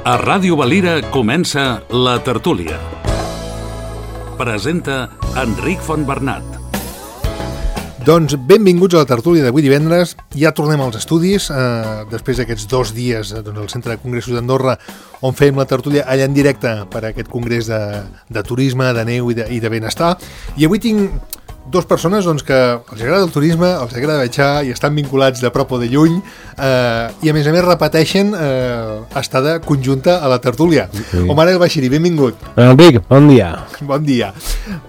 A Ràdio Valira comença La Tertúlia. Presenta Enric Fontbernat. Doncs benvinguts a la tertúlia d'avui divendres. Ja tornem als estudis, després d'aquests 2 dies al Centre de Congressos d'Andorra, on fèiem la tertúlia allà en directe per a aquest congrés de turisme, de neu i de benestar. I avui tinc 2 persones que els agrada el turisme, els agrada viatjar i estan vinculats de prop o de lluny, i a més repeteixen estada conjunta a la tertúlia. Sí. Omar El Bashiri, benvingut. Enric, bon dia. Bon dia.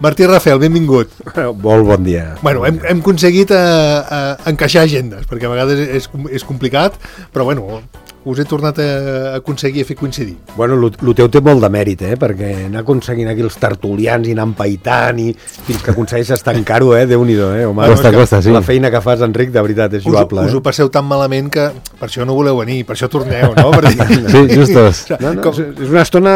Martí Rafel, benvingut. Molt bon dia. Bueno, hem aconseguit encaixar agendes, perquè a vegades és complicat, però bueno, us he tornat a aconseguir a fer coincidir. Bueno, el teu té molt de mèrit, perquè anar aconseguint aquí els tertulians i anar empaitant i fins que aconsegueixes tancar-ho, Déu-n'hi-do, Omar. Costa, sí. La feina que fas, Enric, de veritat, és lloable. Us ho passeu tan malament que per això no voleu venir, per això torneu, no? Sí, justos. No, és una estona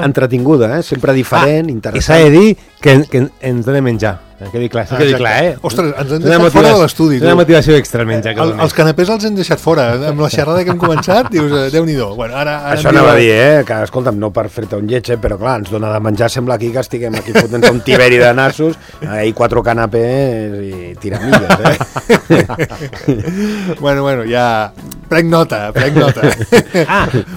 entretinguda, sempre diferent, interessant. I s'ha de dir que ens dona menjar. Quedi clar, Ostres, ens han deixat fora de l'estudi. És una motivació extra menjar. Els canapés els hem deixat fora. Amb la xerrada que hem començat, dius, Déu-n'hi-do. Bueno, ara això anava a dir, que escolta'm, no per fer-te un lleig, però clar, ens dona de menjar, sembla aquí que estiguem aquí fotent un tiberi de nassos, i 4 canapés i tiramilles, Bueno, ja... Prenc nota.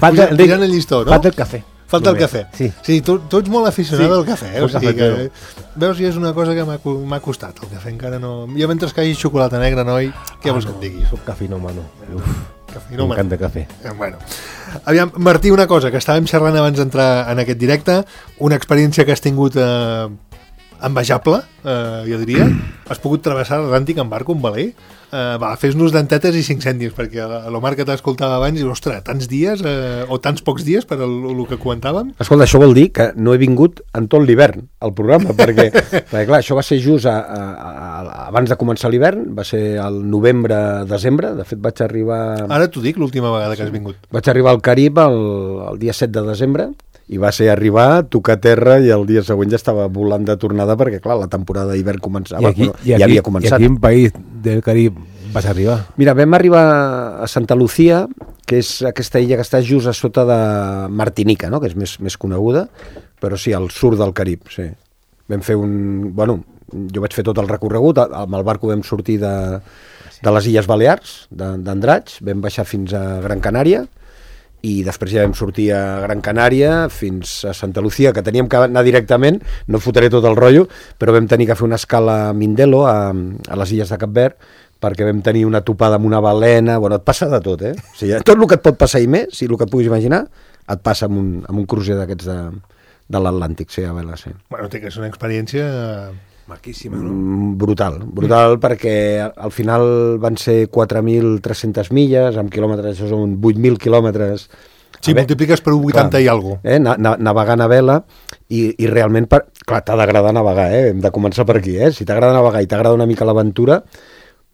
Falta el llistó, no? Falta el cafè. Falta el cafè. Sí, tu ets molt aficionat al cafè, o sigui que... Veus, és una cosa que m'ha costat, el cafè encara no... Jo mentre que hi hagi xocolata negra, noi, què vols que et digui? Soc cafeïnòmano. M'encanta cafè. Bueno, aviam, Martí, una cosa, que estàvem xerrant abans d'entrar en aquest directe, una experiència que has tingut envejable, jo diria. Has pogut travessar l'Atlàntic en barco, en veler. Fes-nos dentetes i 5 cèntims, perquè l'Omar que t'escoltava abans diu, ostres, tants dies o tants pocs dies per el que comentàvem. Escolta, això vol dir que no he vingut en tot l'hivern al programa, perquè clar, això va ser just abans de començar l'hivern, va ser al novembre-desembre, de fet vaig arribar... Ara t'ho dic, l'última vegada que has vingut. Vaig arribar al Carib el dia 7 de desembre, i va ser arribar, tocar terra, i el dia següent ja estava volant de tornada, perquè clar, la temporada d'hivern començava, ja havia començat. I a quin país del Carib vas arribar? Mira, vam arribar a Santa Lucía, que és aquesta illa que està just a sota de Martinica, no? Que és més coneguda, però sí, al sud del Carib, sí. Vam fer jo vaig fer tot el recorregut, amb el barco vam sortir de les Illes Balears, d'Andratx, vam baixar fins a Gran Canària, i després ja vam sortir a Gran Canària fins a Santa Lucía, que teníem que anar directament, no fotré tot el rotllo, però vam tenir que fer una escala a Mindelo, a les Illes de Cap Verd, perquè vam tenir una topada amb una balena. Bueno, et passa de tot, O sigui, tot el que et pot passar i més, si el que et puguis imaginar, et passa amb un crucer d'aquests de l'Atlàntic, sí, a vela, sí. Bueno, té que ser una experiència... maquíssima, no? Brutal, perquè al final van ser 4.300 milles, amb quilòmetres, això són 8.000 quilòmetres. Sí, multipliques per 80 i alguna cosa. Navegant a vela, i realment, clar, t'ha d'agradar navegar, hem de començar per aquí, Si t'agrada navegar i t'agrada una mica l'aventura,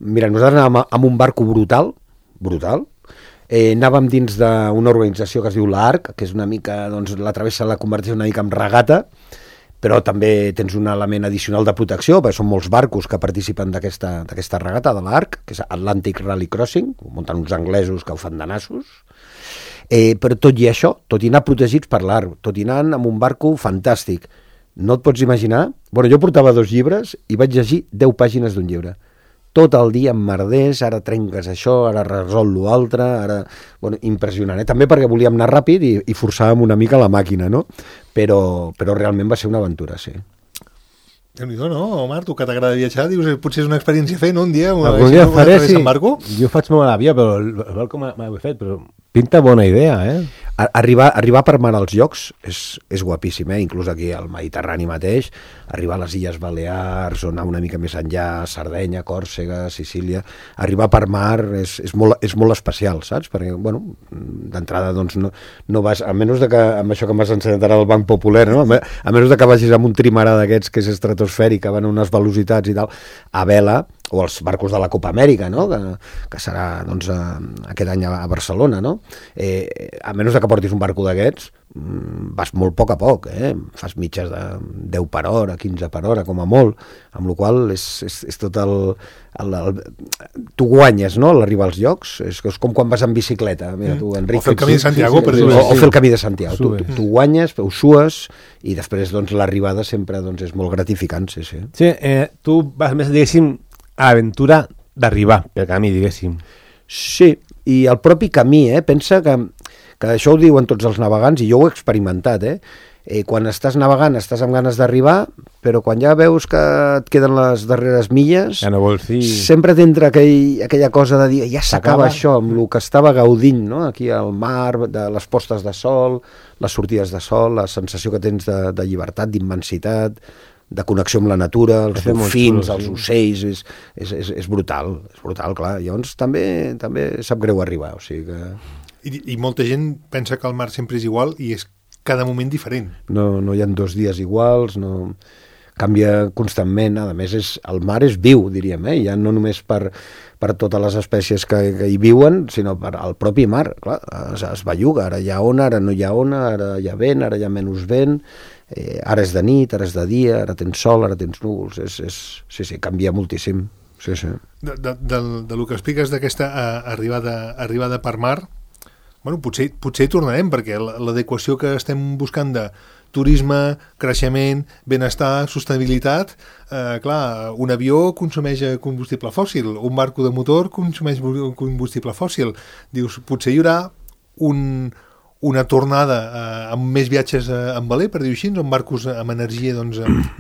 mira, nosaltres anàvem amb un barco brutal, anàvem dins d'una organització que es diu l'ARC, que és una mica, la travessa la converteix una mica en regata, però també tens un element addicional de protecció, perquè són molts barcos que participen d'aquesta regata de l'ARC, que és Atlantic Rally Crossing, ho munten uns anglesos que ho fan de nassos, però tot i això, tot i anar protegits per l'ARC, tot i anar amb un barco fantàstic, no et pots imaginar... jo portava 2 llibres i vaig llegir 10 pàgines d'un llibre. Tot el dia amb merders, ara trenques això, ara resol l'altre, ara... impressionant, També perquè volíem anar ràpid i forçàvem una mica la màquina, no? Però realment va ser una aventura, sí. Déu-n'hi-do, no? Omar, tu que t'agrada viatjar, dius, potser és una experiència fer, no? Un dia faré, sí. Jo faig molt a l'avió, però el barco m'ho he fet, però pinta bona idea, Arribar per mar als llocs és guapíssim, inclús aquí al Mediterrani mateix, arribar a les Illes Balears o anar una mica més enllà, Sardenya, Còrsega, Sicília, arribar per mar és molt especial, saps? Perquè, d'entrada, no vas, a menys que, amb això que m'has ensenyat ara del Banc Popular, no? A menys que vagis amb un trimarà d'aquests que és estratosfèric, que van a unes velocitats i tal, a vela, o els barcos de la Copa Amèrica, no? Que serà doncs, aquest any a Barcelona, no? A menys que portis un barco d'aquests, vas molt a poc, fas mitges de 10 per hora, 15 per hora, com a molt, amb la qual cosa és tot tu guanyes, no?, a l'arribar als llocs, és com quan vas en bicicleta. Mira, tu, Enric, o fer el camí de Santiago, per dir-ho. O fer el camí de Santiago. Tu guanyes, ho sues, i després doncs, l'arribada sempre doncs, és molt gratificant, sí. Sí, tu vas més, diguéssim, a l'aventura d'arribar pel camí, diguéssim. Sí, i el propi camí, pensa que això ho diuen tots els navegants, i jo ho he experimentat, quan estàs navegant estàs amb ganes d'arribar, però quan ja veus que et queden les darreres milles, ja no vols dir... sempre t'entra aquella cosa de dir, ja s'acaba això, amb el que estava gaudint, no? Aquí al mar, de les postes de sol, les sortides de sol, la sensació que tens de llibertat, d'immensitat, de connexió amb la natura, els dofins, els ocells, és brutal, clar. Llavors també sap greu arribar, o sigui que... I molta gent pensa que el mar sempre és igual i és cada moment diferent. No hi ha 2 dies iguals, no... canvia constantment, a més el mar és viu, diríem, ja no només per totes les espècies que hi viuen, sinó per al propi mar, clar, es belluga, ara hi ha ona, ara no hi ha ona, ara hi ha vent, ara hi ha menys vent, ara és de nit, ara és de dia, ara tens sol, ara tens núvols, sí, canvia moltíssim, sí. Del que expliques d'aquesta arribada per mar, bueno, potser hi tornarem, perquè l'adequació que estem buscant de turisme, creixement, benestar, sostenibilitat, clar, un avió consumeix combustible fòssil, un barco de motor consumeix combustible fòssil. Dius, potser hi haurà una tornada amb més viatges en veler, per dir-ho així, amb barcos amb energia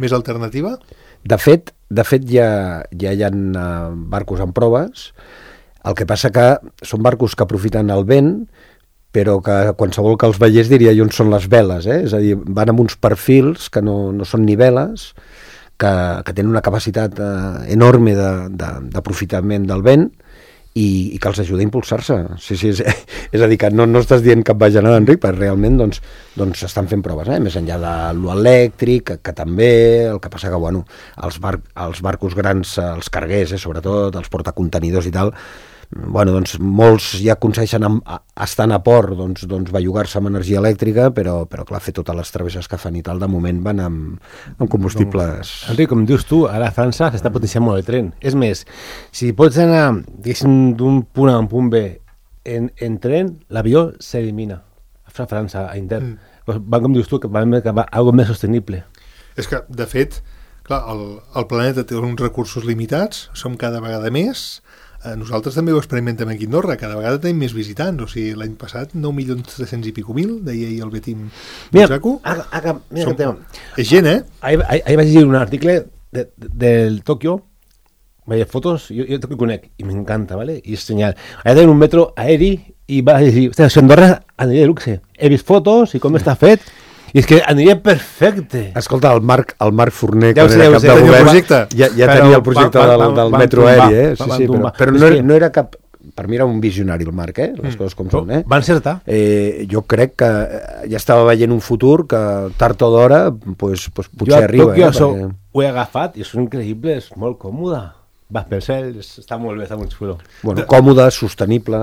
més alternativa? De fet, ja hi ha barcos en proves, el que passa que són barcos que aprofiten el vent, però que qualsevol que els veiés diria on són les veles, és a dir, van amb uns perfils que no són ni veles, que tenen una capacitat enorme d'aprofitament del vent i que els ajuda a impulsar-se. Sí, és a dir, que no estàs dient cap bajanada, Enric, perquè realment doncs estan fent proves, més enllà de l'elèctric, que també, el que passa que, bueno, els barcos grans, els carguers, sobretot, els portacontenidors i tal, bueno, doncs molts ja aconsegueixen estant a port doncs bellugar-se amb energia elèctrica, però clar, fer totes les travesses que fan i tal, de moment van amb combustibles... Enric, com dius tu, ara a França s'està potenciant molt el tren. És més, si pots anar, diguéssim, d'un punt A a un punt B en tren, l'avió s'elimina a França, a intern. Van, com dius tu, que va algo més sostenible. És que, de fet, clar, el planeta té uns recursos limitats, som cada vegada més. Nosaltres també ho experimentem aquí a Andorra, cada vegada tenim més visitants, o sigui, l'any passat 9.300.000 i pico mil, deia ahir el Betim Butsaco. Mira que tema. És gent, Ahir vaig llegir un article del Tòquio, veia fotos, jo Tòquio conec, i m'encanta, ¿vale? I és genial. Allà tenen un metro aeri i va dir, hòstia, si Andorra aniria de luxe. He vist fotos i com està fet, i és que aniria perfecte. Escolta, el Marc Forner, ja que era cap de govern, ja tenia el projecte del metro aeri, sí, però no era cap... Per mi era un visionari el Marc, les coses com són. Va encertar. Jo crec que ja estava veient un futur que tard o d'hora potser arriba. Jo ho he agafat i és increïble, és molt còmode. Va per cel, està molt bé, està molt xulo. Bueno, còmode, sostenible...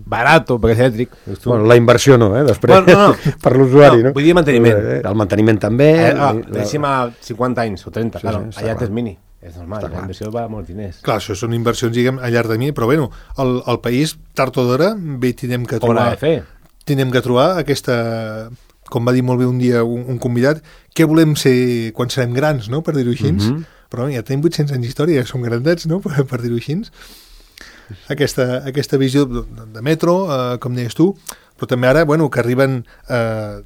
Barato, perquè és elèctric. Bueno, la inversió no, després, per l'usuari, no? Vull dir manteniment. El manteniment també... Deixem a 50 anys o 30, claro, allà tens mini. És normal, la inversió va a molts diners. Clar, això són inversions, diguem, a llarg termini, però bueno, el país, tard o d'hora, bé, tindrem que trobar aquesta... Com va dir molt bé un dia un convidat, què volem ser quan serem grans, no?, per dir-ho així. Però ja tenim 800 anys d'història, som grandets, no?, per dir-ho així. Aquesta visió de metro, com deies tu, però també ara, bueno, que arriben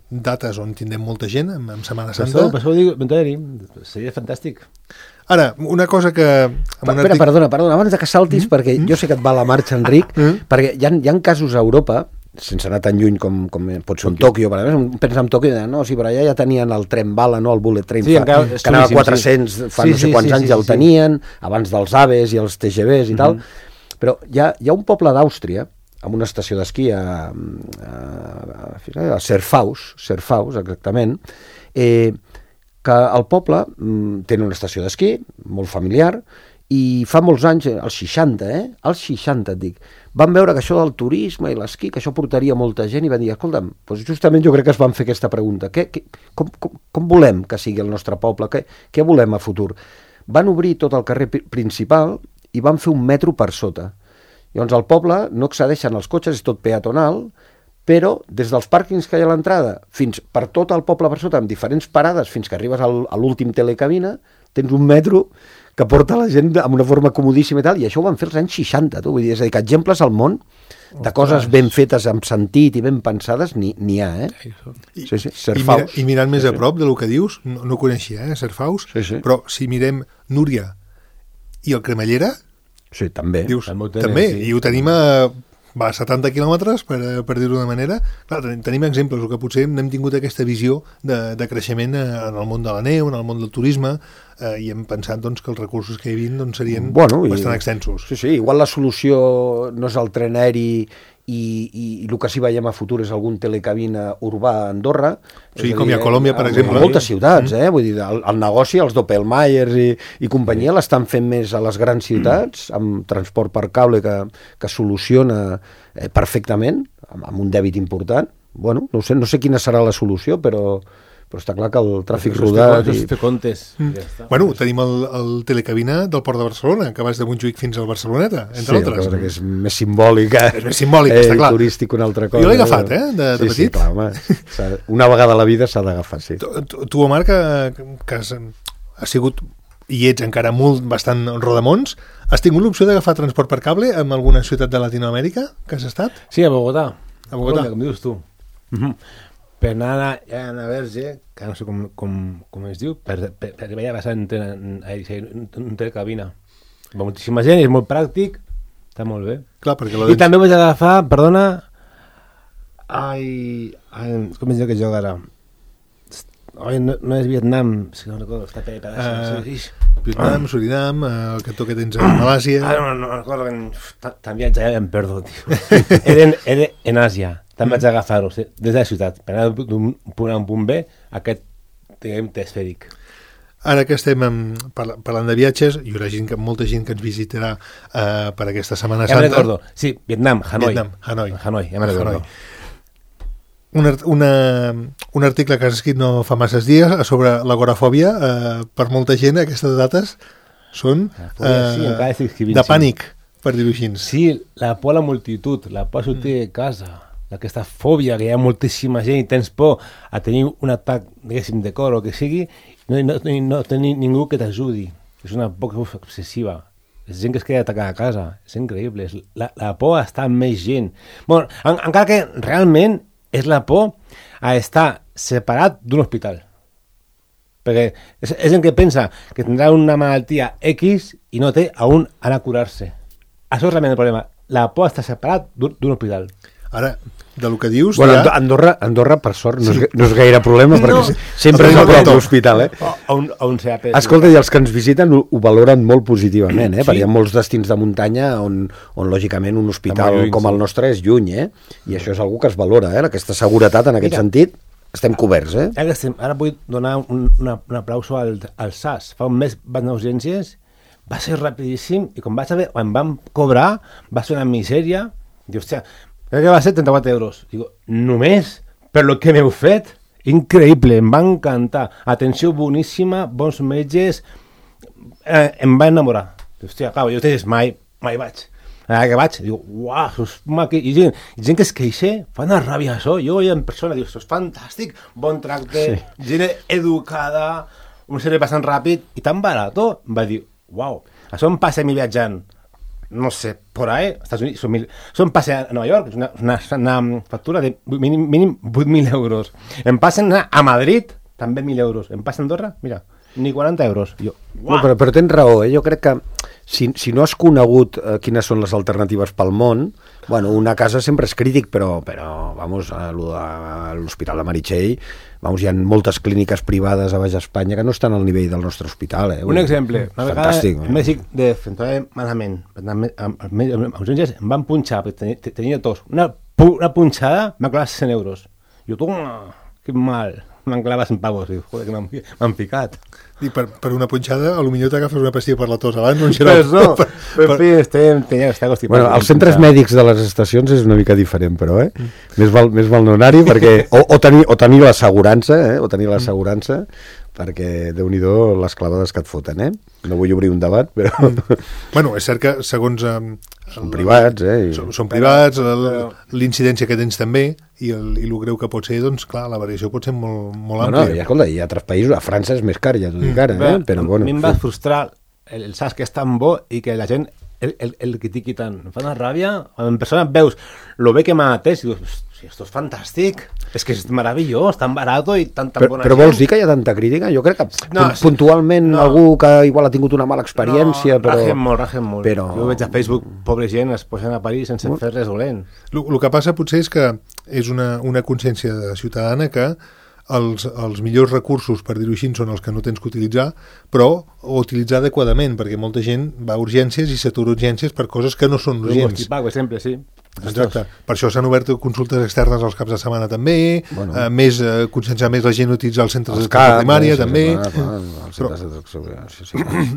dates on tindrem molta gent, en Setmana Santa. Per això ho dic, seria fantàstic. Ara, una cosa que... Perdona, abans que saltis, perquè jo sé que et va la marxa, Enric, perquè hi ha casos a Europa, sense anar tan lluny com pot ser un Tòquio, per exemple, pensa en Tòquio, no, sí, però allà ja tenien el tren bala, no, el bullet train, que anava a 400, fa no sé quants anys ja el tenien, abans dels AVEs i els TGVs i tal, però hi ha un poble d'Àustria, amb una estació d'esquí a Serfaus, exactament, que el poble té una estació d'esquí molt familiar I fa molts anys, als 60, als 60 et dic, van veure que això del turisme i l'esquí, que això portaria molta gent, i van dir, escolta'm, doncs justament jo crec que es van fer aquesta pregunta, com volem que sigui el nostre poble, què volem a futur? Van obrir tot el carrer principal i van fer un metro per sota. Llavors al poble no accedeixen els cotxes, és tot peatonal, però des dels pàrquings que hi ha a l'entrada fins per tot el poble per sota, amb diferents parades, fins que arribes a l'últim telecabina, tens un metro que porta la gent amb una forma comodíssima i tal, i això ho van fer als anys 60, tu. Vull dir, és a dir, que exemples al món de coses ben fetes amb sentit i ben pensades n'hi ha, Sí, Serfaus. I mirant més a prop del que dius, no coneixia, Serfaus, però si mirem Núria i el Cremallera, sí, també. Dius, també, sí. I ho tenim a 70 quilòmetres, per dir-ho d'una manera. Clar, tenim exemples, que potser n'hem tingut aquesta visió de creixement en el món de la neu, en el món del turisme, i hem pensat doncs, que els recursos que hi havia doncs, serien bastant extensos. Sí, igual la solució no és el tren aeri i el que sí veiem a futur és algun telecabina urbà a Andorra. Sí, com hi ha a Colòmbia, per exemple. Moltes ciutats, Vull dir, el negoci, els Doppelmayers i companyia l'estan fent més a les grans ciutats, amb transport per cable que soluciona perfectament, amb un dèbit important. Bueno, no sé quina serà la solució, però està clar que el tràfic rodat... Fer comptes. Bueno, tenim el telecabina del Port de Barcelona, que vas de Montjuïc fins al Barceloneta, entre altres. Sí, que és més simbòlic. És més simbòlic, està clar. Turístic, una altra cosa. Jo l'he agafat, de petit. Sí, clar, home. Una vegada a la vida s'ha d'agafar, sí. Tu, Omar, que has sigut i ets encara bastant rodamons, has tingut l'opció d'agafar transport per cable en alguna ciutat de Latinoamèrica que has estat? Sí, a Bogotà. A Bogotà. Com dius tu. Per anar a Verge, que no sé com es diu, per veure passar en telecabina. Va moltíssima gent, és molt pràctic, està molt bé. Clar, perquè I també vaig agafar, perdona, com es diu que joc ara? No és Vietnam, si no recordo, està per Vietnam, Surinam, el cantó que tens a Malàsia... No recordo, també ja em perdo, tio. Era en Àsia. També vaig agafar-ho des de la ciutat, per anar d'un punt a un punt B, aquest esfèric. Ara que estem parlant de viatges, hi haurà molta gent que ens visitarà per aquesta Setmana Santa. Ja me'n recordo, sí, Vietnam, Hanoi, ja me'n recordo. Un article que has escrit no fa masses dies sobre l'agorafòbia, per molta gent aquestes dates són de pànic, per dir-ho així. Sí, la por a la multitud, la por a sortir de casa, aquesta fòbia que hi ha moltíssima gent i tens por a tenir un atac, diguéssim, de cor o que sigui, no tenir ningú que t'ajudi. És una por obsessiva. És gent que es queda atacada a casa. És increïble. La por a estar amb més gent. Bueno, encara que realment és la por a estar separat d'un hospital. Perquè és gent que pensa que tindrà una malaltia X i no té a on anar a curar-se. Això és realment el problema. La por a estar separat d'un hospital. Ara, del que dius... Bueno, Andorra, per sort, no és gaire problema, perquè sempre és a prop de l'hospital, On s'ha... Escolta, i els que ens visiten ho valoren molt positivament, perquè hi ha molts destins de muntanya on lògicament, un hospital com el nostre és lluny, i això és algú que es valora, aquesta seguretat en aquest sentit. Estem coberts, Ara vull donar un aplauso al SAS. Fa un mes vaig anar a urgències, va ser rapidíssim, i quan vam cobrar, va ser una misèria, diu, hòstia, crec que va ser 34 euros. Digo, només per lo que m'heu fet? Increïble, em va encantar. Atenció boníssima, bons metges, em va enamorar. Hòstia, clar, jo mai vaig. Ara que vaig, diu, uau, i gent que es queixa, fa una ràbia això. Jo en persona, diu, és fantàstic, bon tracte, gent educada, un servei bastant ràpid i tan barat. Va dir, uau, això em passa a mi viatjant. No sé, por ahí, Estats Units, son pase a Nueva York, es una factura de mínim 8.000 euros. Em passen a Madrid, també 1.000 euros. Em passa a Andorra, mira, ni 40 euros. Jo, no, però tens raó, jo crec que si no has conegut quines són les alternatives pel món, bueno, una casa sempre és crític, però vamos, a l'Hospital de Meritxell, vamos, hi ha moltes clíniques privades a Baix Espanya que no estan al nivell del nostre hospital. Un exemple, una vegada el mèdic de Central malament, als urgències em van punxar, tenia tos, una punxada m'ha costat 100 euros. Jo, toma, que mal. m'han clavat 100 pavos. I, joder, que m'han picat. I per una punxada, potser t'agafes una pastilla per la tos abans, un Però xarop. no, en fi, està constipat. Bueno, els centres mèdics de les estacions és una mica diferent, però, Més val no anar-hi perquè... O tenir l'assegurança, o tenir l'assegurança, perquè, Déu-n'hi-do, les clavades que et foten, No vull obrir un debat, però... Bueno, és cert que, segons... Són privats, Són privats, l'incidència que tens també, i el greu que pot ser, doncs, clar, la variació pot ser molt No, àmplia. escolta, hi ha altres països, a França és més car, ja t'ho dic ara, però bueno... A mi em va frustrar el sac que és tan bo i que la gent el critiqui tant. Em fa una ràbia, quan en persona veus lo bé que m'ha atès i dius, esto és fantàstic, és que és meravellós, tan barat i tan bona Però vols dir que hi ha tanta crítica? Jo crec que puntualment algú que igual ha tingut una mala experiència, però... Rajen molt. Però... Jo veig a Facebook, pobre gent, es posen a parir sense fer res dolent. El que passa potser és que és una consciència ciutadana que els millors recursos, per dir-ho així, són els que no tens que utilitzar, però utilitzar adequadament, perquè molta gent va a urgències i s'atura urgències per coses que no són urgents. Per exemple, sí. Exacte. Per això s'han obert consultes externes als caps de setmana també, conscienciar més la gent a utilitzar els centres d'atenció primària també.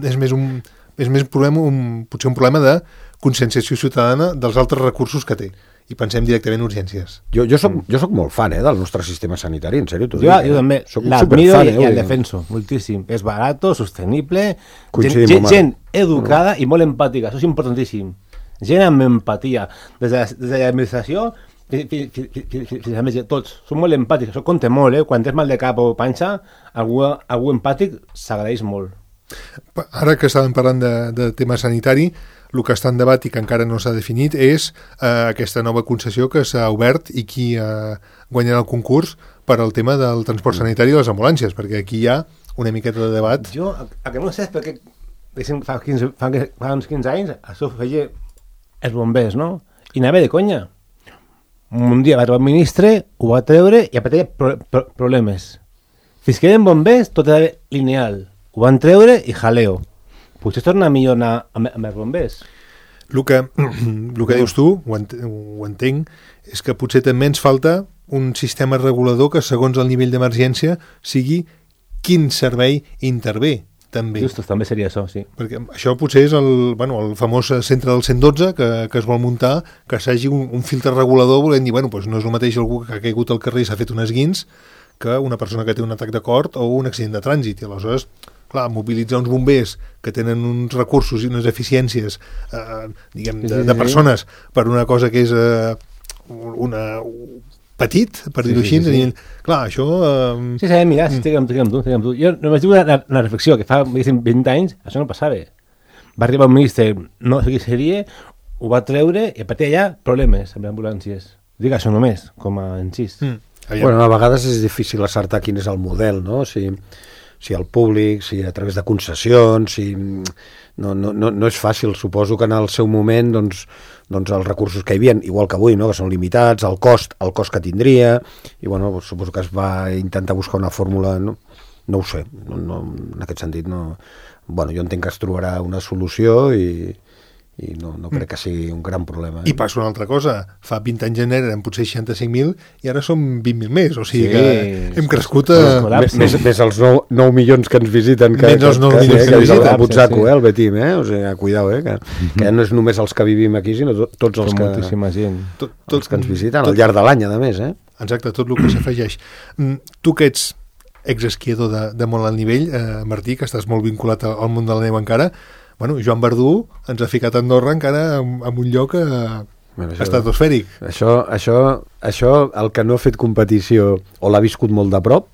És més potser un problema de conscienciació ciutadana dels altres recursos que té. I pensem directament en urgències. Jo soc molt fan del nostre sistema sanitari, en sèrio. Jo també l'admiro i el defenso moltíssim. És barato, sostenible, gent educada i molt empàtica, això és importantíssim. Gent amb empatia, des de l'administració fins a tots, són molt empàtics, això compta molt, quan tens mal de cap o panxa, algú empàtic s'agraeix molt. Ara que estàvem parlant de tema sanitari, el que està en debat i que encara no s'ha definit és aquesta nova concessió que s'ha obert i qui guanyarà el concurs per al tema del transport sanitari i les ambulàncies, perquè aquí hi ha una miqueta de debat. Jo, el que no sé és perquè fa uns 15 anys això feia els bombers, no? I anava de conya. Un dia va trobar el ministre, ho va treure i apareixia problemes. Fins que eren bombers, tot era lineal. Ho van treure i jaleo. Potser es torna millor anar amb els bombers. El que dius tu, ho entenc, és que potser també ens falta un sistema regulador que, segons el nivell d'emergència, sigui quin servei intervé, també. Justos, també seria això, sí. Perquè això potser és el famós centre del 112 que es vol muntar, que s'hagi un filtre regulador volent dir, no és el mateix algú que ha caigut al carrer i s'ha fet un esguins que una persona que té un atac de cor o un accident de trànsit. I aleshores, clar, mobilitzar uns bombers que tenen uns recursos i unes eficiències de persones per una cosa que és petit, per dir-ho així. Clar, això... Sí, sabem mirar, estic amb tu. Jo només dic una reflexió, que fa 20 anys això no passava. Va arribar un ministre, no sé qui seria, ho va treure i a partir d'allà problemes amb ambulàncies. Dic això només, com a incís. Bueno, a vegades és difícil acertar quin és el model, no? Si el públic, si a través de concessions, no és fàcil. Suposo que en el seu moment doncs els recursos que hi havia, igual que avui, no? Que són limitats, el cost que tindria, i suposo que es va intentar buscar una fórmula, no ho sé, en aquest sentit no. Jo entenc que es trobarà una solució i no crec que sigui un gran problema. I passa una altra cosa, fa 20 anys eren potser 65.000 i ara som 20.000 més, o sigui que hem crescut més els 9 milions que ens visiten menys els 9 milions que ens visiten el Butzaco, el Betim, o sigui, cuidao, que no és només els que vivim aquí, sinó tots els que els que ens visiten al llarg de l'any, a més. Exacte, tot el que s'afegeix. Tu que ets exesquiador de molt alt nivell, Martí, que estàs molt vinculat al món de la neu encara, Joan Verdú ens ha ficat a Andorra encara en un lloc estratosfèric. Això, el que no ha fet competició o l'ha viscut molt de prop,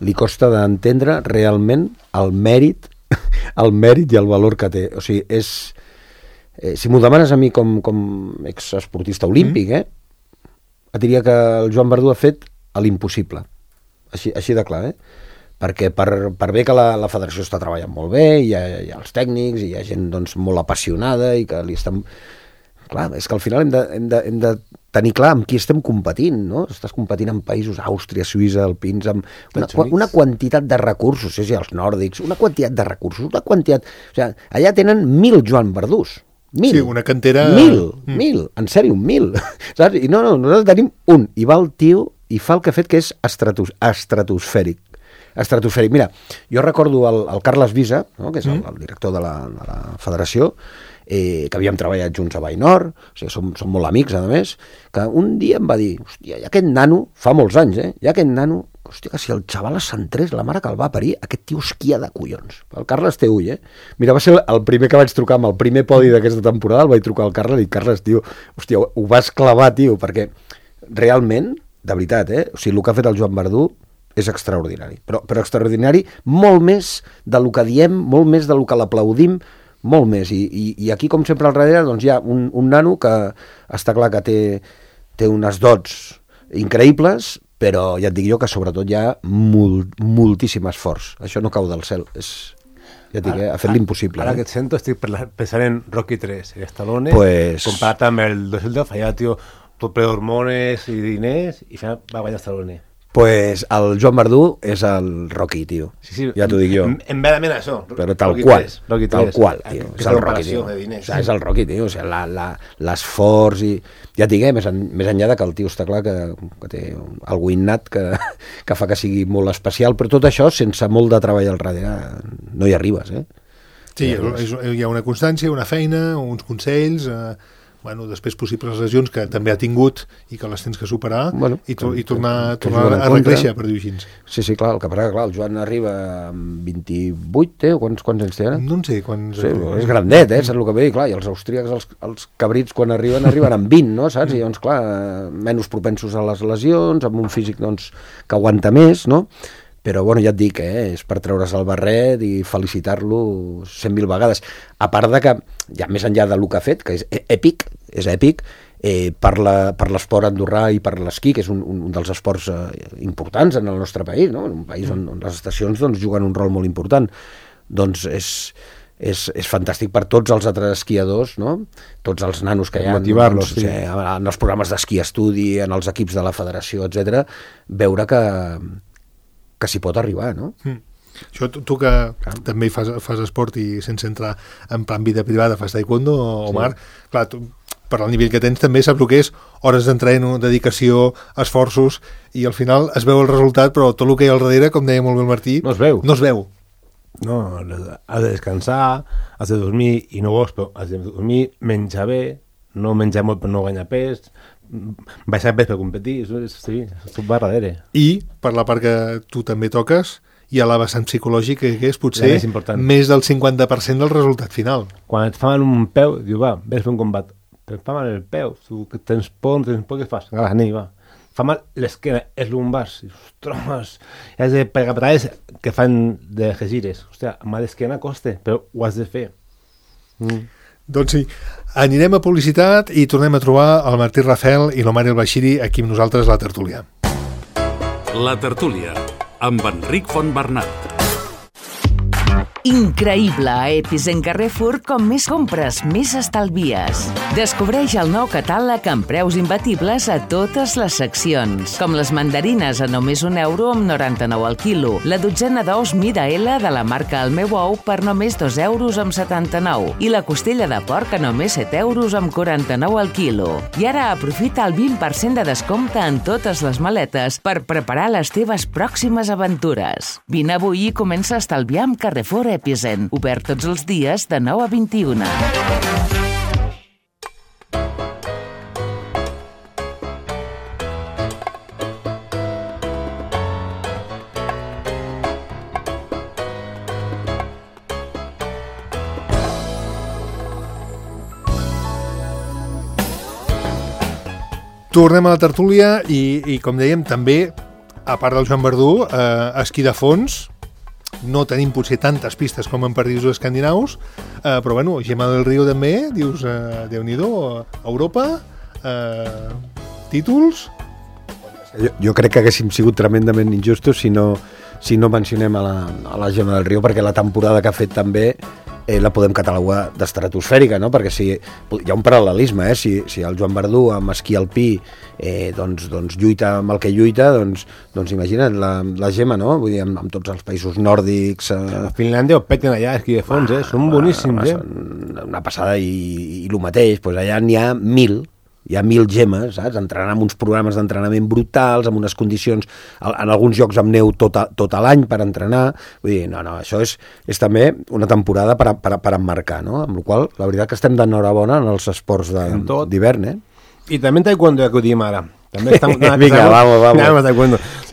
li costa d'entendre realment el mèrit i el valor que té. O sigui, si m'ho demanes a mi com exesportista olímpic, et diria que el Joan Verdú ha fet l'impossible. Així de clar, perquè per bé que la federació està treballant molt bé, hi ha els tècnics, hi ha gent molt apassionada i que li estan... Clar, és que al final hem de tenir clar amb qui estem competint, no? Estàs competint amb països, Àustria, Suïssa, Alpins, amb una quantitat de recursos, els nòrdics, una quantitat de recursos, o sigui, allà tenen 1.000 Joan Verdús. 1.000. Sí, una cantera... 1.000, en sèrio, 1.000. Saps? I no, nosaltres tenim un, i va el tio i fa el que ha fet, que és estratosfèric. Mira, jo recordo el Carles Visa, no? Que és el director de la federació, que havíem treballat junts a Bainor, o sigui, som molt amics, a més, que un dia em va dir, hòstia, hi ha aquest nano, fa molts anys, hi ha aquest nano, hòstia, que si el xaval es centrés, la mare que el va parir, aquest tio esquia de collons. El Carles té ull, Mira, va ser el primer que vaig trucar amb el primer podi d'aquesta temporada, el vaig trucar al Carles i Carles, tio, hòstia, ho vas clavar, tio, perquè realment, de veritat, o sigui, el que ha fet el Joan Verdú és extraordinari, però extraordinari molt més del que diem, molt més del que l'aplaudim, molt més, i aquí, com sempre al darrere, doncs hi ha un nano que està clar que té unes dots increïbles, però ja et dic jo que sobretot hi ha moltíssim esforç. Això no cau del cel, ja et dic, ha fet l'impossible. Ara que et sento estic pensant en Rocky 3, el Stallone, comparat amb el 2010, allà, tio, tot ple d'hormones i diners, i va guanyar Stallone. Pues el Joan Verdú és el Rocky, tio. Sí, ja t'ho dic jo. En verament això. Però tal qual, tio. És el Rocky, tio. És el Rocky, tio. O sigui, l'esforç i... Ja et dic, més enllà que el tio està clar que té algú innat que fa que sigui molt especial, però tot això, sense molt de treball al darrere, no hi arribes, Sí, hi ha una constància, una feina, uns consells... després possibles lesions que també ha tingut i que les tens que superar i tornar a recréixer, per dir-ho així. Sí, clar, el que passa, clar, el Joan arriba amb 28, o quants anys té ara? No en sé quants... Sí, és grandet, saps el que ve? Clar, i els austríacs, els cabrits, quan arriben amb 20, no, saps? I llavors, clar, menys propensos a les lesions, amb un físic, doncs, que aguanta més, no? Però, bueno, ja et dic, és per treure's el barret i felicitar-lo 100.000 vegades. A part de que, ja més enllà del que ha fet, que és èpic, per l'esport andorrà i per l'esquí, que és un dels esports importants en el nostre país, no? En un país on les estacions doncs, juguen un rol molt important. Doncs és fantàstic per tots els altres esquiadors, no? Tots els nanos que hi ha, motivar-los, doncs, en els programes d'esquí estudi, en els equips de la federació, etc, veure que s'hi pot arribar, no? Això, tu que també fas esport i sense entrar en plan vida privada fas taekwondo, Omar, clar, tu, per al nivell que tens també saps el que és hores d'entreno, dedicació, esforços, i al final es veu el resultat, però tot el que hi ha al darrere, com deia molt bé el Martí, no es veu. No, has de descansar, has de dormir, i no vols, però has de dormir, menjar bé, no menjar molt per no guanyar pes, baixar pes per competir, sí, tot va darrere. I, per la part que tu també toques, hi ha la vessant psicològic, que és potser més del 50% del resultat final. Quan et fa mal un peu, diu, va, vés fer un combat, però et fa mal el peu, tu que tens por, què fas? Va. Fa mal l'esquena, els lumbars, ostres, has de pegar patades que fan de gires. Hòstia, mal d'esquena costa, però ho has de fer. Doncs sí, anirem a publicitat i tornem a trobar el Martí Rafel i l'Omar El Bashiri aquí amb nosaltres a la tertúlia. La tertúlia, amb Enric Fontbernat. Increïble a Epizen Carrefour, com més compres, més estalvies. Descobreix el nou catàleg amb preus imbatibles a totes les seccions, com les mandarines a només €1 amb 99 al quilo, la dotzena d'ous mida L de la marca El meu ou per només €2 amb 79 i la costella de porc a només €7 amb 49 al quilo. I ara aprofita el 20% de descompte en totes les maletes per preparar les teves pròximes aventures. Vine avui i comença a estalviar amb Carrefour Epizen, obert tots els dies de 9 a 21. Tornem a la tertúlia i com dèiem, també, a part del Joan Verdú, esquí de fons. No tenim potser tantes pistes com en països escandinaus, però bueno, Gemma del Río també, dius, Déu-n'hi-do, Europa, títols... Jo crec que haguéssim sigut tremendament injustos si no mencionem a la Gemma del Río, perquè la temporada que ha fet també la podem catalogar d'estratosfèrica, no? Perquè hi ha un paral·lelisme, si el Joan Verdú amb esquí alpí doncs lluita amb el que lluita, doncs imagina't la Gemma, no? Vull dir, amb tots els països nòrdics... A Finlàndia ho peten allà, esquí de fons, són boníssims, Una passada, i el mateix, doncs allà n'hi ha 1.000, hi ha 1.000 gemes, saps? Entrenant amb uns programes d'entrenament brutals, amb unes condicions, en alguns llocs amb neu tot l'any per entrenar. Vull dir, no, això és també una temporada per emmarcar, no? Amb la qual la veritat que estem d'enhorabona en els esports d'hivern, I també en taekwondo, que ho diem ara. També estan, Vinga, vamos.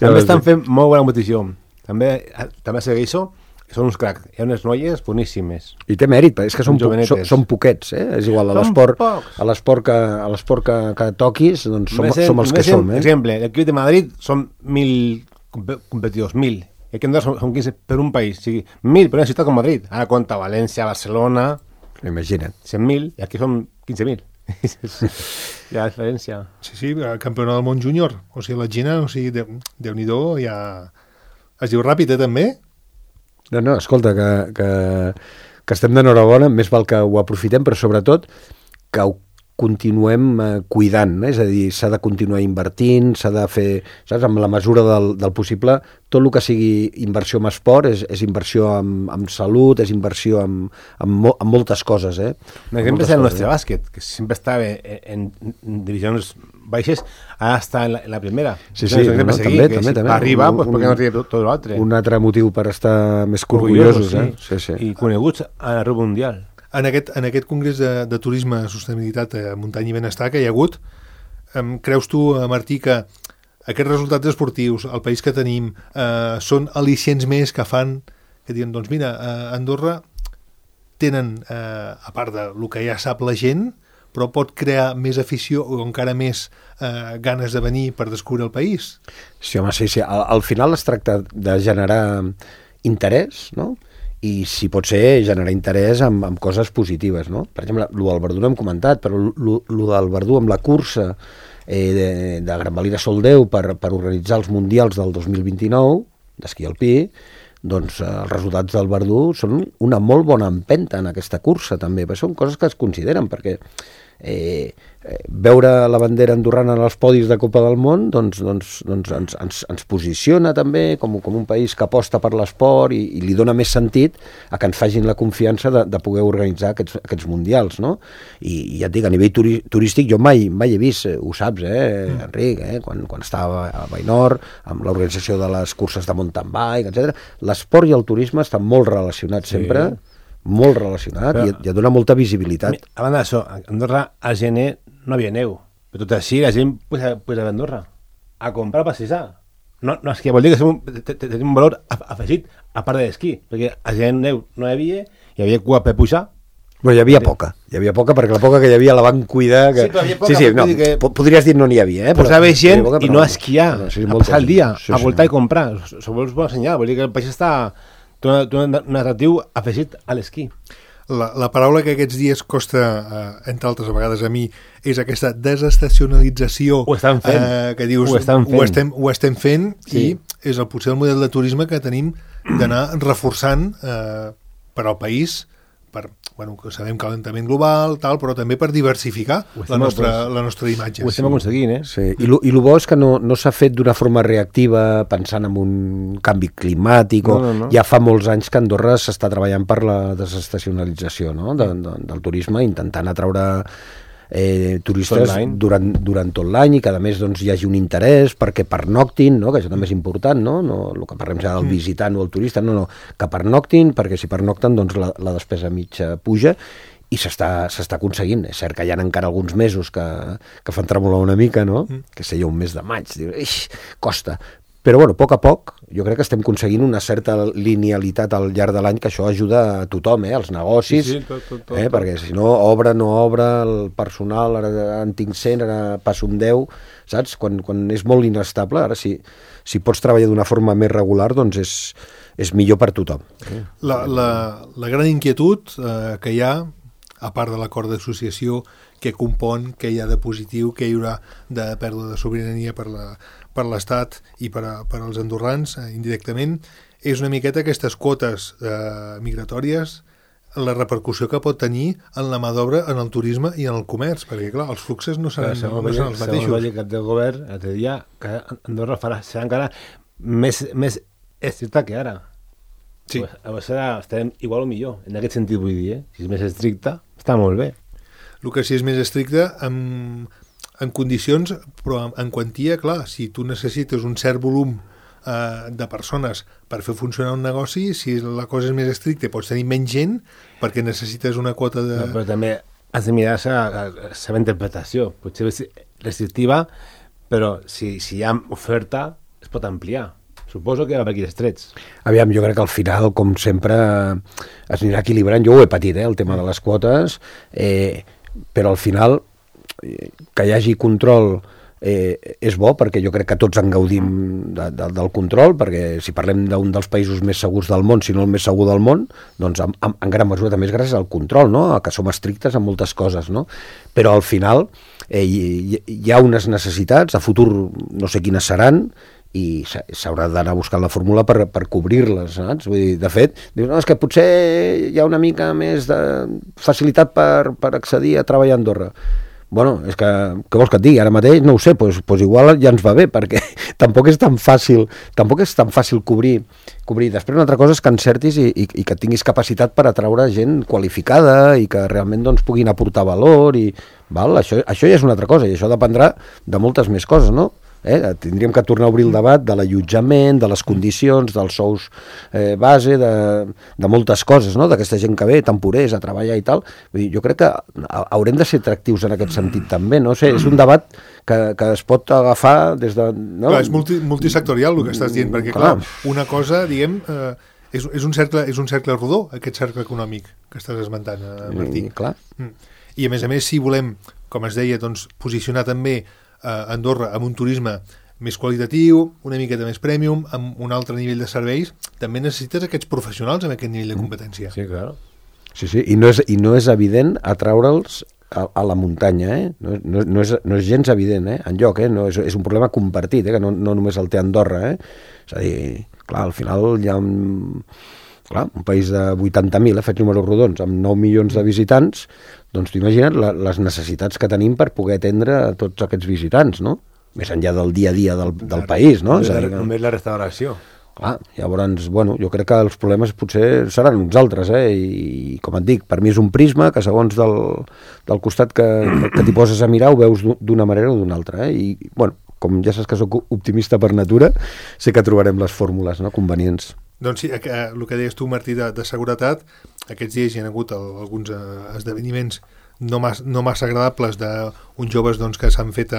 També estan fent molt bona competició. També segueixo. Són uns cracs, hi ha unes noies boníssimes. I té mèrit, és que són poquets, És igual, a l'esport que toquis, doncs som els que som, Per exemple, l'equip de Madrid són 1.000 competidors, 1.000. I aquí en Andorra són 15 per un país, o sigui, 1.000 per una ciutat com Madrid. Ara compta València, Barcelona... Imagina't. 100.000, i aquí són 15.000. Hi ha diferència. Sí, campionat del món júnior. O sigui, la Gina, Déu-n'hi-do, ja... Es diu ràpid, també? No, escolta, que estem d'enhorabona, més val que ho aprofitem, però sobretot que ho continuem cuidant, és a dir, s'ha de continuar invertint, s'ha de fer, saps, amb la mesura del possible, tot el que sigui inversió en esport és inversió en salut, és inversió en moltes coses, Un exemple és el nostre bàsquet, que sempre estava en divisions baixes, ara està en la primera. Sí, també. Per arribar, perquè no arriba tot l'altre. Un altre motiu per estar més orgullosos, sí. I coneguts a l'arreu mundial. En aquest congrés de turisme, sostenibilitat, muntanya i benestar que hi ha hagut, creus tu, Martí, que aquests resultats esportius, el país que tenim, són al·licients més que fan, que diuen, doncs mira, a Andorra tenen, a part del que ja sap la gent, però pot crear més afició o encara més ganes de venir per descobrir el país? Sí, home, sí. Al final es tracta de generar interès, no?, i si pot ser generar interès amb coses positives, no? Per exemple, el del Verdú no hem comentat, però el del Verdú amb la cursa de Gran Valira Sol 10 per organitzar els mundials del 2029 d'esquí alpí, doncs els resultats del Verdú són una molt bona empenta en aquesta cursa també, però són coses que es consideren, perquè veure la bandera andorrana en els podis de Copa del Món doncs ens posiciona també com un país que aposta per l'esport i li dona més sentit a que ens facin la confiança de poder organitzar aquests mundials, no? I ja et dic, a nivell turístic jo mai he vist, ho saps, Enric, quan estava a Bainor, amb l'organització de les curses de mountain bike, etc. L'esport i el turisme estan molt relacionats sempre, molt relacionat, i et dona molta visibilitat. A banda d'això, a Andorra al gener no havia neu, però tot així la gent puja a Andorra a comprar a passejar. No, és que vol dir que tenim un valor afegit a part de l'esquí, perquè al gener neu no hi havia cua per pujar. Però hi havia poca, perquè la poca que hi havia la van cuidar. Sí, però hi havia poca. Podries dir no n'hi havia, Posava gent i no a esquiar, a passar el dia, a voltar i comprar. Això vols bon senyal, vol dir que el país està... un atractiu afegit a l'esquí. La paraula que aquests dies costa, entre altres vegades a mi, és aquesta desestacionalització. Ho estan fent. Que dius, ho estem fent, sí. I és potser el model de turisme que tenim d'anar reforçant per al país, que sabem calentament global, però també per diversificar la nostra imatge. Ho estem aconseguint, Sí. I el bo és que no s'ha fet d'una forma reactiva pensant en un canvi climàtic. No. Ja fa molts anys que Andorra s'està treballant per la desestacionalització, no? del turisme, intentant atraure turistes durant tot l'any i que a més hi hagi un interès perquè pernoctin, no? Que això també és important, no? El que parlem ja del visitant o el turista, que pernoctin, perquè si pernocten la despesa mitja puja i s'està aconseguint. És cert que hi ha encara alguns mesos que fan tremolar una mica, no? Que seria un mes de maig, costa. Però, a poc a poc, jo crec que estem aconseguint una certa linealitat al llarg de l'any, que això ajuda a tothom, als negocis, tot. Perquè si no obre, el personal, ara en tinc 100, ara passo un 10, saps? Quan és molt inestable, ara si pots treballar d'una forma més regular, doncs és millor per tothom. La gran inquietud que hi ha, a part de l'acord d'associació que compon, què hi ha de positiu, què hi haurà de pèrdua de sobirania per l'Estat i per als andorrans, indirectament, és una miqueta aquestes quotes migratòries, la repercussió que pot tenir en la mà d'obra, en el turisme i en el comerç, perquè, clar, els fluxos no seran els mateixos. Segons el cap del govern, l'altre dia, que Andorra serà encara més estricta que ara. Sí. Pues estarem igual o millor, en aquest sentit vull dir, Si és més estricta, està molt bé. El que sí és més estricte, en condicions, però en quantia, clar, si tu necessites un cert volum de persones per fer funcionar un negoci, si la cosa és més estricta pots tenir menys gent perquè necessites una quota de... No, però també has de mirar la seva interpretació. Potser és restrictiva, però si hi ha oferta es pot ampliar. Suposo que va per aquí els trets. Aviam, jo crec que al final, com sempre, es anirà equilibrant. Jo ho he patit, el tema de les quotes, però al final que hi hagi control és bo, perquè jo crec que tots en gaudim del control, perquè si parlem d'un dels països més segurs del món, si no el més segur del món, doncs en gran mesura també és gràcies al control, no? Que som estrictes en moltes coses, no? Però al final hi ha unes necessitats, a futur no sé quines seran, i s'haurà d'anar buscant la fórmula per cobrir-les, saps? Vull dir, de fet, dius, no, és que potser hi ha una mica més de facilitat per accedir a treballar a Andorra. Bueno, és que, què vols que et digui? Ara mateix no ho sé, doncs igual ja ens va bé, perquè tampoc és tan fàcil cobrir. Després una altra cosa és que encertis i que tinguis capacitat per atraure gent qualificada i que realment doncs, puguin aportar valor. Això ja és una altra cosa, i això dependrà de moltes més coses, no? Tindríem que tornar a obrir el debat de l'allotjament, de les condicions, dels sous base, de moltes coses, no? D'aquesta gent que ve, temporers, a treballar i tal. Vull dir, jo crec que haurem de ser atractius en aquest sentit també, no sé, és un debat que es pot agafar des de... No? Clar, és multisectorial el que estàs dient, perquè clar, una cosa, diguem... És un cercle rodó, aquest cercle econòmic que estàs esmentant, Martí. Clar. I a més, si volem, com es deia, doncs, posicionar també Andorra amb un turisme més qualitatiu, una miqueta més premium, amb un altre nivell de serveis, també necessites aquests professionals amb aquest nivell de competència. Sí, clar. Sí, i no és evident atraure'ls a la muntanya, no és gens evident, enlloc, no, és un problema compartit, que no només el té Andorra, és a dir, clar, al final hi ha un país de 80.000, faig números rodons, amb 9 milions de visitants, doncs t'imagines les necessitats que tenim per poder atendre a tots aquests visitants, no? Més enllà del dia a dia del país, no? Només la restauració. Clar, llavors, bueno, jo crec que els problemes potser seran uns altres, i com et dic, per mi és un prisma que segons del costat que t'hi poses a mirar ho veus d'una manera o d'una altra, i, bueno, com ja saps que soc optimista per natura, sé que trobarem les fórmules, no?, convenients. Doncs sí, el que deies tu, Martí, de seguretat, aquests dies hi ha hagut alguns esdeveniments no massa agradables d'uns joves doncs, que s'han fet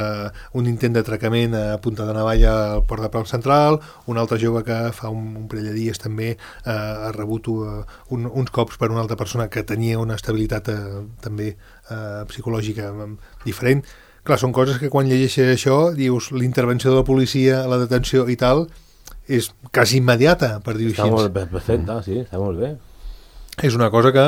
un intent d'atracament a punta de navalla al Port de Pau Central, un altre jove que fa un parell de dies també ha rebut uns cops per una altra persona que tenia una estabilitat també psicològica diferent. Clar, són coses que quan llegeixes això dius l'intervenció de la policia, la detenció i tal, és quasi immediata, per dir-ho així. Està molt perfecte, sí, està molt bé. És una cosa que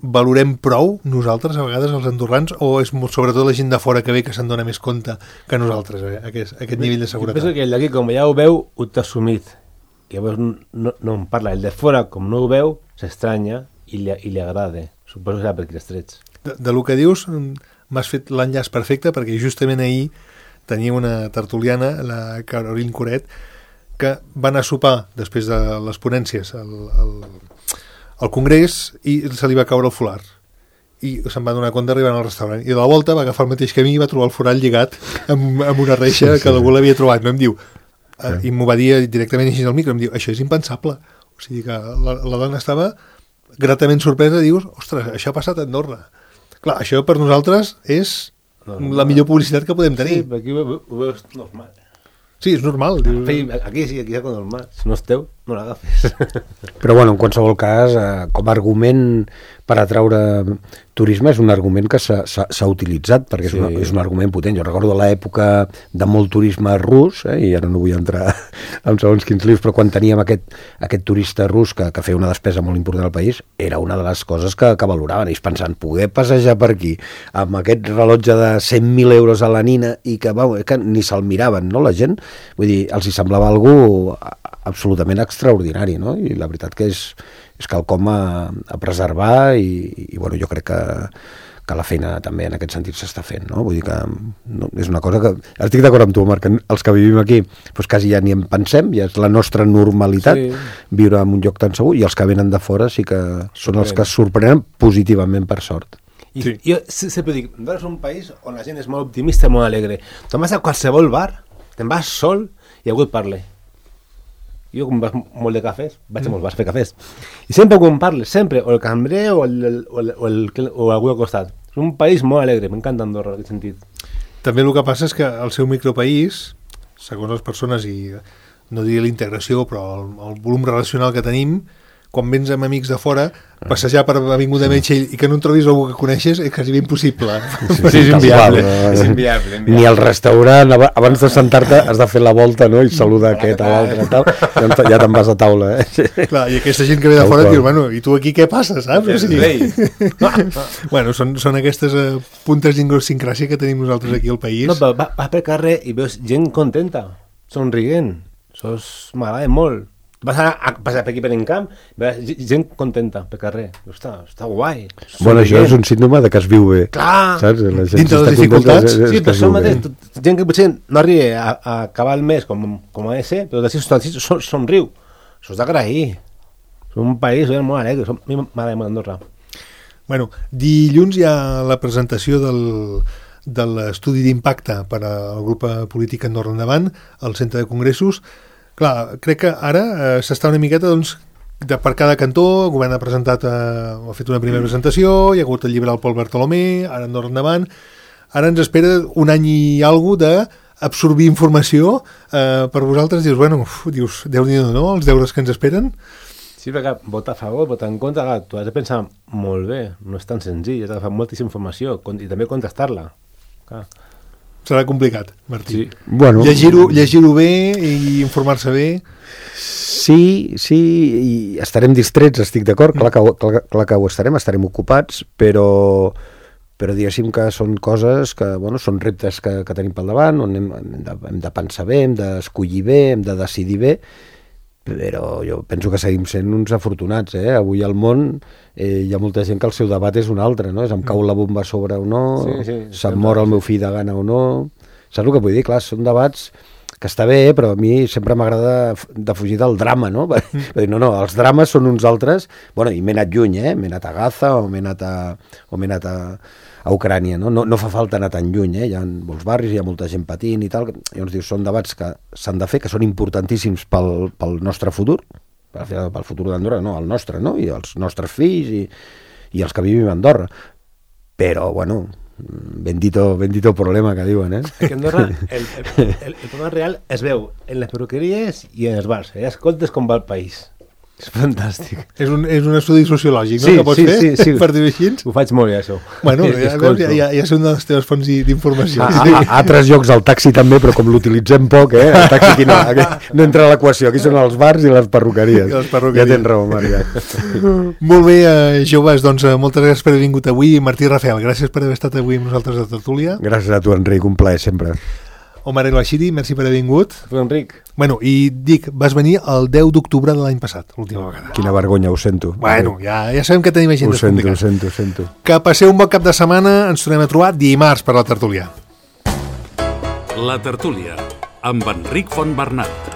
valorem prou nosaltres, a vegades, els andorrans, o és sobretot la gent de fora que ve que se'n dona més compte que nosaltres, aquest nivell de seguretat? Jo penso que el d'aquí, com ja ho veu, ho té assumit. I llavors no en parla. El de fora, com no ho veu, s'estranya i li agrada. Suposo que serà per aquí els trets. De lo que dius, m'has fet l'enllaç perfecte, perquè justament ahir tenia una tertuliana, la Caroline Coret, que va anar a sopar després de les ponències al Congrés i se li va caure el folar i se'n va donar compte arribant al restaurant i de la volta va agafar el mateix camí i va trobar el forat lligat amb una reixa que algú l'havia trobat, no? Em diu, i m'ho va dir directament així al micro, em diu, això és impensable, o sigui que la dona estava gratament sorpresa, dius, ostres, això ha passat a Andorra. Clar, això per nosaltres és la millor publicitat que podem tenir. Sí, aquí ho veus normal. Sí, és normal. Aquí sí, aquí és normal. Si no és teu, no l'agafes. Però bueno, en qualsevol cas, com a argument per atraure turisme és un argument que s'ha utilitzat, perquè és un argument potent. Jo recordo l'època de molt turisme rus, i ara no vull entrar en segons quins livros, però quan teníem aquest turista rus que feia una despesa molt important al país, era una de les coses que valoraven. Ells pensant, poder passejar per aquí amb aquest rellotge de 100.000 euros a la nina i que ni se'l miraven, no, la gent? Vull dir, els hi semblava algú absolutament extraordinari, no? I la veritat que és quelcom a preservar i bueno, jo crec que la feina també en aquest sentit s'està fent, no? Vull dir que és una cosa que... Estic d'acord amb tu, Marc, que els que vivim aquí doncs quasi ja ni en pensem, ja és la nostra normalitat viure en un lloc tan segur, i els que venen de fora sí que són els que es sorprenen positivament, per sort. I Sí. jo sempre dic, Andorra és un país on la gent és molt optimista i molt alegre. Te'n vas a qualsevol bar, te'n vas sol i algú et parla. Jo, com vas molt de cafès, vaig a molts bars a fer cafès. I sempre quan parles, sempre, o el cambrer o algú al costat. És un país molt alegre, m'encanta Andorra en aquest sentit. També el que passa és que el seu micropaís, segons les persones, i no diria la integració, però el volum relacional que tenim, quan vens amb amics de fora, passejar per Avinguda Metxell i que no en trobis algú que coneixes és quasi impossible. Sí, és inviable. Tal, És inviable. Ni al restaurant, abans de sentar-te has de fer la volta, no?, i saludar aquest a l'altre, tal. Ja te'n vas a taula, Clar, i aquesta gent que ve de fora diu, bueno, i tu aquí què passa, saps? O sigui, bueno, són aquestes puntes d'idiosincràsia que tenim nosaltres aquí al país. No, però vas pel carrer i veus gent contenta, somrient. Això m'agrada molt. Vas a passar per aquí per encamp, veus gent contenta pel carrer. Està guai. Bueno, això és un síndrome de que es viu bé. Clar! Saps? La gent Dintre està les dificultats. contenta, Sí, que però es això viu bé. mateix, gent que potser no arriba a acabar el mes com ha de ser, però d'ací somriu. Això és d'agrair. És un país molt alegre. A mi m'agrada molt Andorra. Bueno, dilluns hi ha la presentació de l'estudi d'impacte per al grup polític Andorra Endavant al Centre de Congressos. Clar, crec que ara s'està una miqueta, doncs, per cada cantó. El govern ha presentat, ha fet una primera presentació, hi ha hagut el llibre del Pol Bartolomé, ara Andorra Endavant. Ara ens espera un any i alguna d'absorbir informació. Per vosaltres dius, bueno, Déu-n'hi-do, no?, els deures que ens esperen. Sí, perquè votar a favor, votar en contra, clar, tu has de pensar molt bé, no és tan senzill, has d'agafar moltíssima informació i també contrastar-la. Clar. Serà complicat, Martí. Sí. Bueno, Llegir-ho bé i informar-se bé. Sí, i estarem distrets, estic d'acord, clar que ho estarem ocupats, però diguéssim que són coses que, bueno, són reptes que tenim pel davant, on hem de pensar bé, hem d'escollir bé, hem de decidir bé, però jo penso que seguim sent uns afortunats, Avui al món hi ha molta gent que el seu debat és un altre, no? És em cau la bomba a sobre o no, se'm mor el meu fill de gana o no. Saps el que vull dir? Clar, són debats que està bé, però a mi sempre m'agrada de fugir del drama, no? Dir, no, els drames són uns altres. Bueno, i m'he anat lluny, m'he anat a Gaza o m'he anat a Ucrània, no? No fa falta anar tan lluny, Hi ha molts barris, hi ha molta gent patint i tal. Llavors dius, són debats que s'han de fer, que són importantíssims pel nostre futur, pel futur d'Andorra, no, el nostre, no? I els nostres fills i els que vivim a Andorra. Però, bueno, bendito problema que diuen, Aquí a Andorra el problema real es veu en les perruqueries i en els bars. Escoltes com va el país. És fantàstic. És un estudi sociològic, no?, Sí, que pots fer, sí. per dir-ho així. Ho faig molt bé, això. Bueno, ja és una de les teves fonts d'informació. A altres llocs el taxi també, però com l'utilitzem poc, el taxi aquí no entra a l'equació. Aquí són els bars i les perruqueries. Ja tens raó, Marga. Molt bé, joves, doncs moltes gràcies per haver vingut avui. Martí Rafael, gràcies per haver estat avui amb nosaltres a Tertúlia. Gràcies a tu, Enric, un plaer sempre. Omar El Bashiri, merci per haver vingut. Tu, Enric. Bueno, i dic, vas venir el 10 d'octubre de l'any passat, l'última vegada. Quina vergonya, ho sento. Bueno, ja sabem que tenim agenda complicada. Ho sento. Que passeu un bon cap de setmana, ens tornem a trobar dimarts per la tertúlia. La tertúlia, amb Enric Fontbernat.